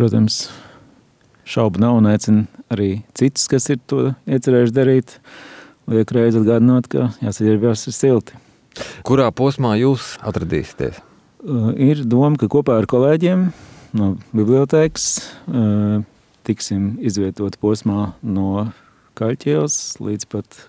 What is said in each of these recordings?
protams, šaubu nav un aicinu arī citus, kas ir to iecerējuši darīt, liek reizi atgādināt, ka jāsaģērbjās ir silti. Kurā posmā jūs atradīsieties? Ir doma, ka kopā ar kolēģiem no bibliotēkas tiksim izvietot posmā no Kaļķielas līdz pat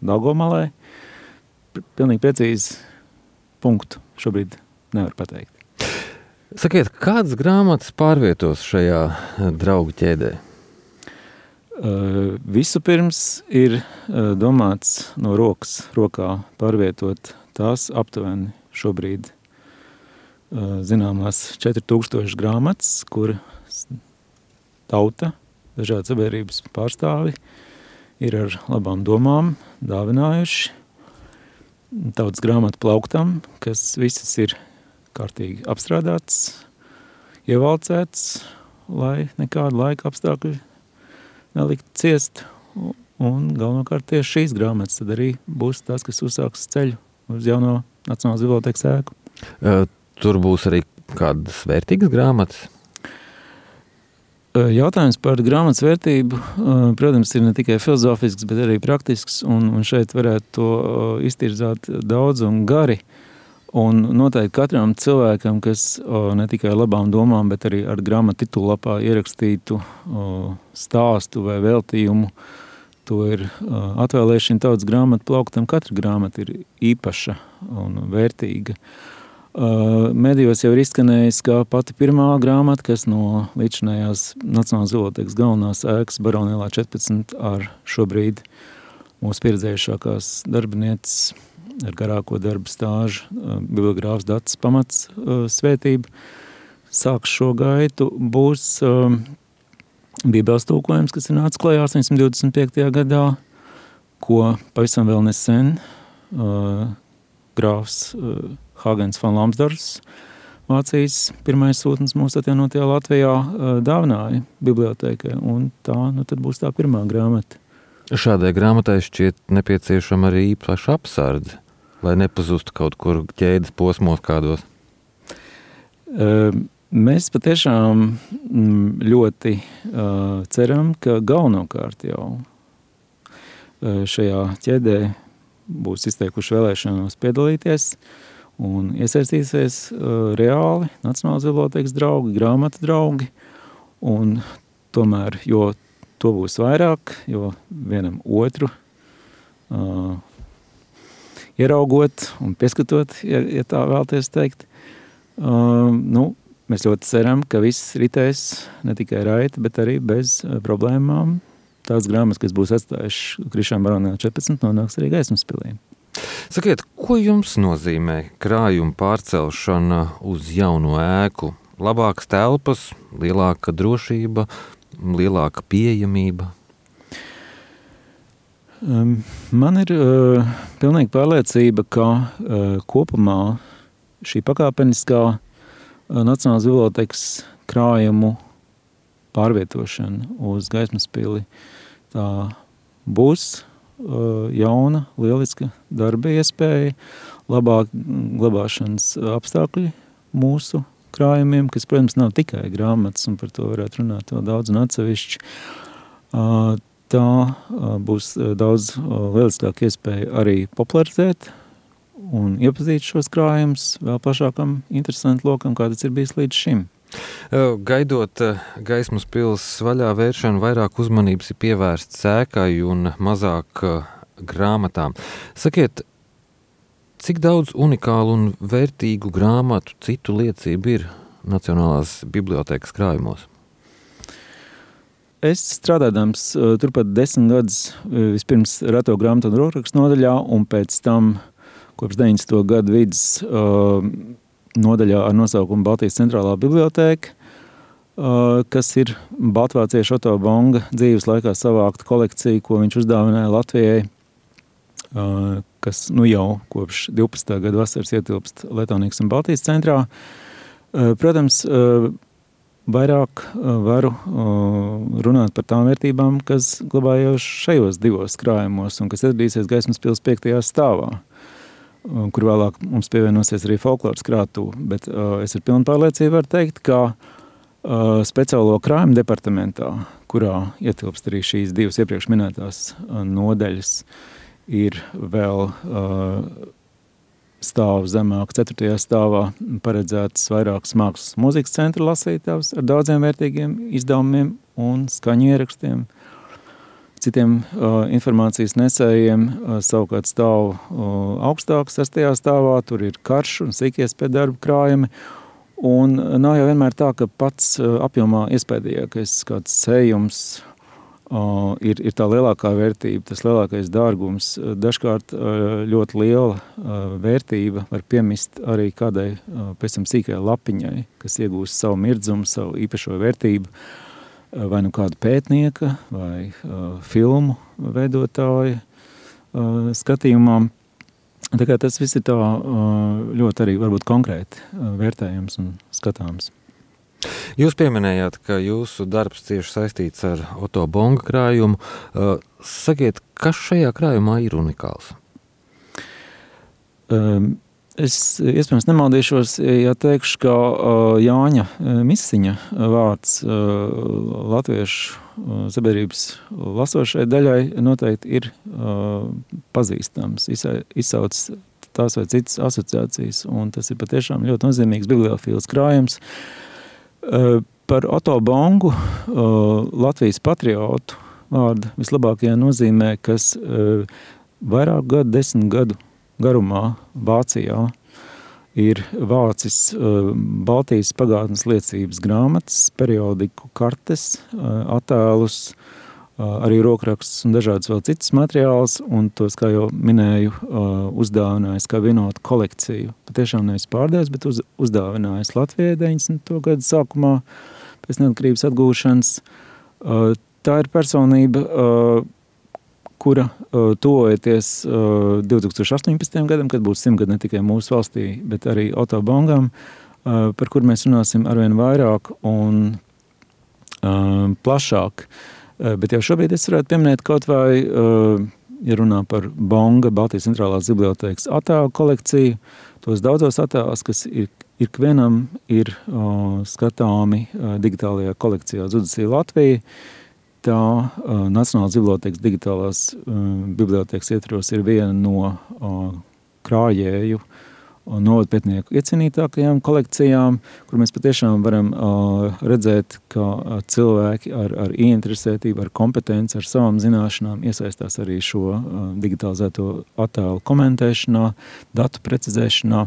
Daugomalai. Pilnīgi precīzi punktu šobrīd nevar pateikt. Sakiet, kādas grāmatas pārvietos šajā draugu ķēdē? Vispirms ir domāts no rokas rokā pārvietot tās aptuveni šobrīd zināmās 4000 grāmatas, kur tauta, dažādi sabiedrības pārstāvi ir ar labām domām dāvinājuši tautas grāmatu plauktam, kas visas ir kārtīgi apstrādāts, ievalcēts, lai nekādu laika apstākļu nelikt ciest. Un galvenokārt tieši šīs grāmatas tad arī būs tās, kas uzsāks ceļu uz jauno Nacionālās bibliotēkas ēku. Tur būs arī kādas vērtīgas grāmatas? Jautājums par grāmatas vērtību, protams, ir ne tikai filozofisks, bet arī praktisks, un šeit varētu to iztirzāt daudz un gari. Un noteikti katram cilvēkam, kas ne tikai ar labām domām, bet arī ar grāmatu titulapā ierakstītu stāstu vai veltījumu, to ir atvēlēšana tautas grāmatu plauktam. Katra grāmata ir īpaša un vērtīga. Medijos jau ir izskanējis, kā pati pirmā grāmata, kas no līdzinājās Nacionālās bibliotēkas galvenās ēkas Baronielā 14 ar šobrīd mūsu pieredzējušākās darbinieces ar garāko darbu stāžu, bibliogrāfs Dacis Pamats svētība. Sāks šo gaitu, būs Bībeles tulkojums, kas ir nācis klajā 825. gadā, ko pavisam vēl nesen grāfs Hāgens van Lamsdorfs, Vācijas pirmais sūtnis mūsu atjaunotajā Latvijā, dāvināja bibliotēkai, un tā tad būs tā pirmā grāmata. Šādai grāmatai šķiet nepieciešama arī īpaša apsardze, lai nepazustu kaut kur ķēdes posmos kādos. Mēs patiešām ļoti ceram, ka galvenokārt jau šajā ķēdē būs izteikuši vēlēšanos piedalīties un iesaistīsies reāli Nacionālās bibliotēkas draugi, grāmatu draugi, un tomēr, jo to būs vairāk, jo vienam otru ieraugot un pieskatot, ja tā vēlties teikt, mēs ļoti ceram, ka viss ritēs ne tikai raiti, bet arī bez problēmām. Tās grāmatas, kas būs atstājuši Krišāna Baronielā 14, nonāks arī Gaismas pilī. Sakiet, ko jums nozīmē krājuma pārcelšana uz jauno ēku? Labākas telpas, lielāka drošība, lielāka pieejamība? Man ir pilnīgi pārliecība, ka kopumā šī pakāpeniskā Nacionālās bibliotēkas krājumu pārvietošana uz Gaismas pili, tā būs jauna, lieliska darba iespēja, labāk glabāšanas apstākļi mūsu krājumiem, kas, protams, nav tikai grāmatas, un par to varētu runāt vēl daudz un atsevišķi. Tā būs daudz lieliskāka iespēja arī popularizēt un iepazīt šos krājumus vēl plašākam interesantu lokam, kā tas ir bijis līdz šim. Gaidot Gaismas pils vaļā vēršanu, vairāk uzmanības ir pievērsts ēkai un mazāk grāmatām. Sakiet, cik daudz unikālu un vērtīgu grāmatu citu liecību ir Nacionālās bibliotēkas krājumos? Es strādādams turpat 10 gadus vispirms reto grāmatu un rokrakstu nodaļā, un pēc tam kopš 90. gadu vidus nodaļā ar nosaukumu Baltijas centrālā bibliotēka, kas ir baltvāciešu Otto Bonga dzīves laikā savākta kolekcija, ko viņš uzdāvināja Latvijai, kas jau kopš 12. gada vasaras ietilpst Letonīgas un Baltijas centrā. Protams, vairāk varu runāt par tām vērtībām, kas glabājās šajos divos krājumos un kas atradīsies Gaismas pils 5. stāvā, kur vēlāk mums pievienosies arī folkloras krātuve. Bet es ar pilnu pārliecību varu teikt, ka speciālo krājumu departamentā, kurā ietilpst arī šīs divas iepriekš minētās nodaļas, ir vēl stāvu zemāk, 4. stāvā paredzētas vairākas mākslas mūzikas centra lasītavas ar daudziem vērtīgiem izdevumiem un skaņu ierakstiem. Citiem informācijas nesējiem savukārt stāv augstāk, 6. stāvā, tur ir karš un sīkies pie darba krājumi. Un nav jau vienmēr tā, ka pats apjomā iespējīgākais kāds sējums ir tā lielākā vērtība, tas lielākais dārgums. Dažkārt ļoti liela vērtība var piemist arī kādai pēc tam sīkai lapiņai, kas iegūst savu mirdzumu, savu īpašo vērtību, vai nu kāda pētnieka, vai filmu veidotāja skatījumā. Tā kā tas viss ir tā ļoti arī varbūt konkrēti vērtējams un skatāms. Jūs pieminējāt, ka jūsu darbs cieši saistīts ar Oto Bonga krājumu. Sakiet, kas šajā krājumā ir unikāls? Es iespējams nemaldīšos, ja teikšu, ka Jāņa Misiņa vārds latviešu sabiedrības lasošai daļai noteikti ir pazīstams, izsauc tās vai citas asociācijas, un tas ir patiešām ļoti nozīmīgs bibliofīls krājums. Par Oto Bongu, Latvijas patriotu vārdu vislabākajā nozīmē, kas vairāk gadu, 10 gadu garumā Vācijā ir vācis Baltijas pagātnes liecības grāmatas, periodiku kartes, attēlus, arī rokrakstus un dažādas vēl citas materiālus, un tos, kā jau minēju, uzdāvinājis kā vienotu kolekciju. Patiešām nevis pārdevis, bet uzdāvinājis Latvijai 90. gadu sākumā pēc neatkarības atgūšanas. Tā ir personība, kura tuvojoties 2018. gadam, kad būs 100 gadi ne tikai mūsu valstī, bet arī Oto Bongam, par kur mēs runāsim arvien vairāk un plašāk. Bet jau šobrīd es varētu pieminēt kaut vai, ja runā par Bonga, Baltijas centrālās bibliotēkas attēlu kolekciju, tos daudzos attēlus, kas ikvienam ir skatāmi digitālajā kolekcijā Zudasija Latvija. Tā Nacionālās bibliotēkas digitālās bibliotēkas ietvaros ir viena no krājēju novadpētnieku iecienītākajām kolekcijām, kur mēs patiešām varam redzēt, ka cilvēki ar ieinteresētību, ar kompetenci, ar savām zināšanām iesaistās arī šo digitalizēto attēlu komentēšanā, datu precizēšanā,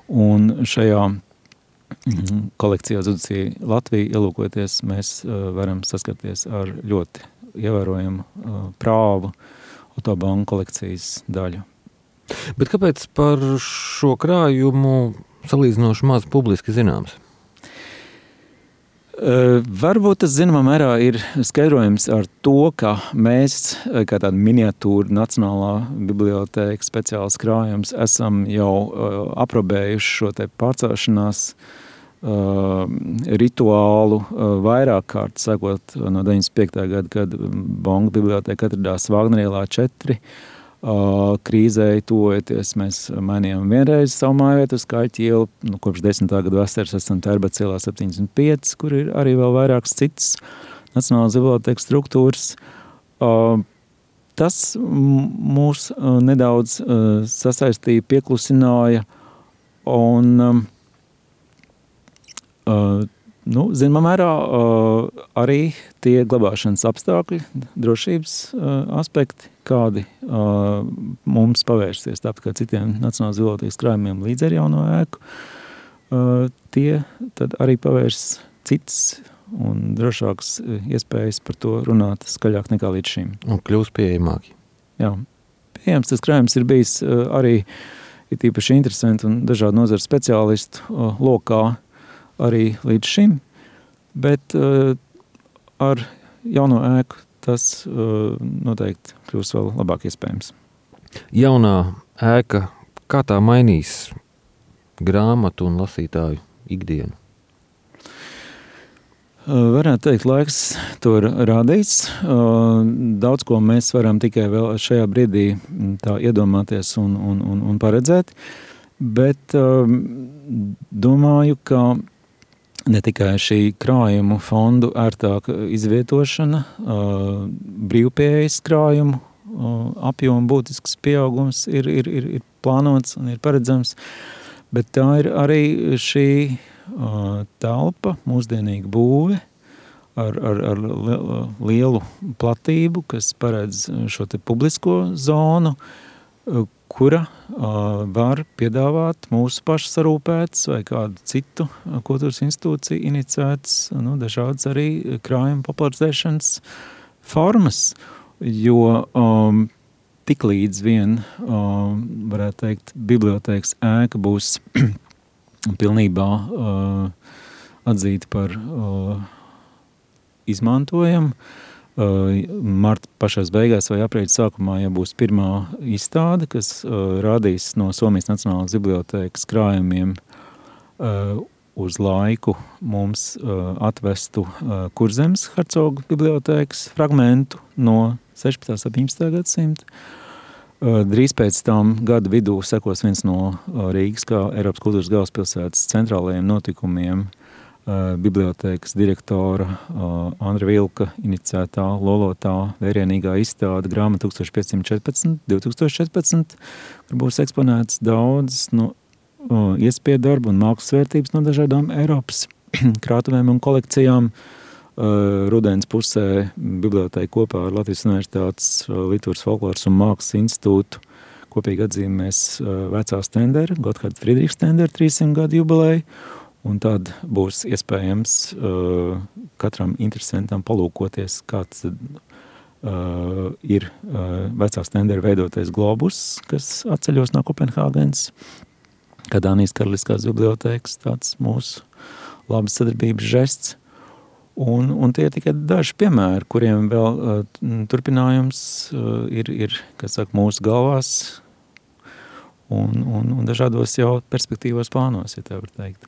un šajā kolekcijā Zudasija Latvija ielūkoties, mēs varam saskarties ar ļoti ievērojumu prāvu Oto Bonga kolekcijas daļu. Bet kāpēc par šo krājumu salīdzinoši maz publiski zināms? Varbūt tas zināmā mērā ir skaidrojums ar to, ka mēs, kā tāda miniatūra Nacionālā bibliotēka speciāls krājums, esam jau aprobējuši šo te pārcelšanās rituālu vairāk kārt, sakot no 95. gada, kad Bonga bibliotēka atradās Vāgnerielā 4. Krīzei tuvojoties, mēs mainījām vienreiz savu mājvietu uz Kaļķu ielu, kopš 10. gada vasaras esam Tērbats ielā 75, kur ir arī vēl vairākas citas Nacionālās bibliotēkas struktūras. Tas mūs nedaudz sasaistīja, pieklusināja, un zināmā mērā arī tie glabāšanas apstākļi, drošības aspekti, kādi mums pavērsies, tāpat kā citiem Nacionālās bibliotēkas krājumiem līdz ar jauno ēku, tie tad arī pavērs citas un drošākas iespējas par to runāt skaļāk nekā līdz šim. Un kļūst pieejamāki. Jā, pieejams tas krājums ir bijis arī ir īpaši interesanti un dažādu nozaru speciālistu lokā arī līdz šim, bet ar jauno ēku tas noteikti kļūs vēl labāk iespējams. Jaunā ēka, kā tā mainīs grāmatu un lasītāju ikdienu? Varētu teikt, laiks to rādīs. Daudz ko mēs varam tikai vēl šajā brīdī tā iedomāties un paredzēt, bet domāju, ka ne tikai šī krājumu fondu ērtāka izvietošana, brīvpieejas krājumu apjoma būtisks pieaugums ir plānots un ir paredzams, bet tā ir arī šī telpa, mūsdienīga būve ar lielu platību, kas paredz šo te publisko zonu, kura var piedāvāt mūsu pašu sarūpētas vai kādu citu kultūras institūciju iniciētas, dažādas arī krājuma popularizēšanas formas, jo tik līdz vien, varētu teikt, bibliotēkas ēka būs pilnībā atzīta par izmantojamu. Marta pašās beigās vai aprīļa sākumā jau būs pirmā izstāde, kas rādīs no Somijas Nacionālās bibliotēkas krājumiem uz laiku mums atvestu Kurzemes hercogu bibliotēkas fragmentu no 16. 17. gadsimta. Drīz pēc tam gada vidū sekos viens no Rīgas kā Eiropas kultūras galvaspilsētas centrālajiem notikumiem, bibliotēkas direktora Andra Vilka iniciētā lolotā vērienīgā izstāde grāmata 1514-2014, kur būs eksponēts daudz iespēju darbu un mākslas vērtības no dažādām Eiropas krātuvēm un kolekcijām. Rudens pusē bibliotēka kopā ar Latvijas Universitātes Literatūras, folkloras un mākslas institūtu kopīgi atzīmēs vecā Stendera, Gotthārda Friedricha Stendera 300 gadu jubileju. Un tad būs iespējams katram interesantam palūkoties, kāds ir vecā Stendera veidotais globus, kas atceļos no Kopenhāgenes, kā Dānijas Karaliskās bibliotēkas, tāds mūsu labas sadarbības žests. Un tie tikai daži piemēri, kuriem vēl turpinājums ir kas saka, mūsu galvās un dažādos jau perspektīvos plānos, ja tā var teikt.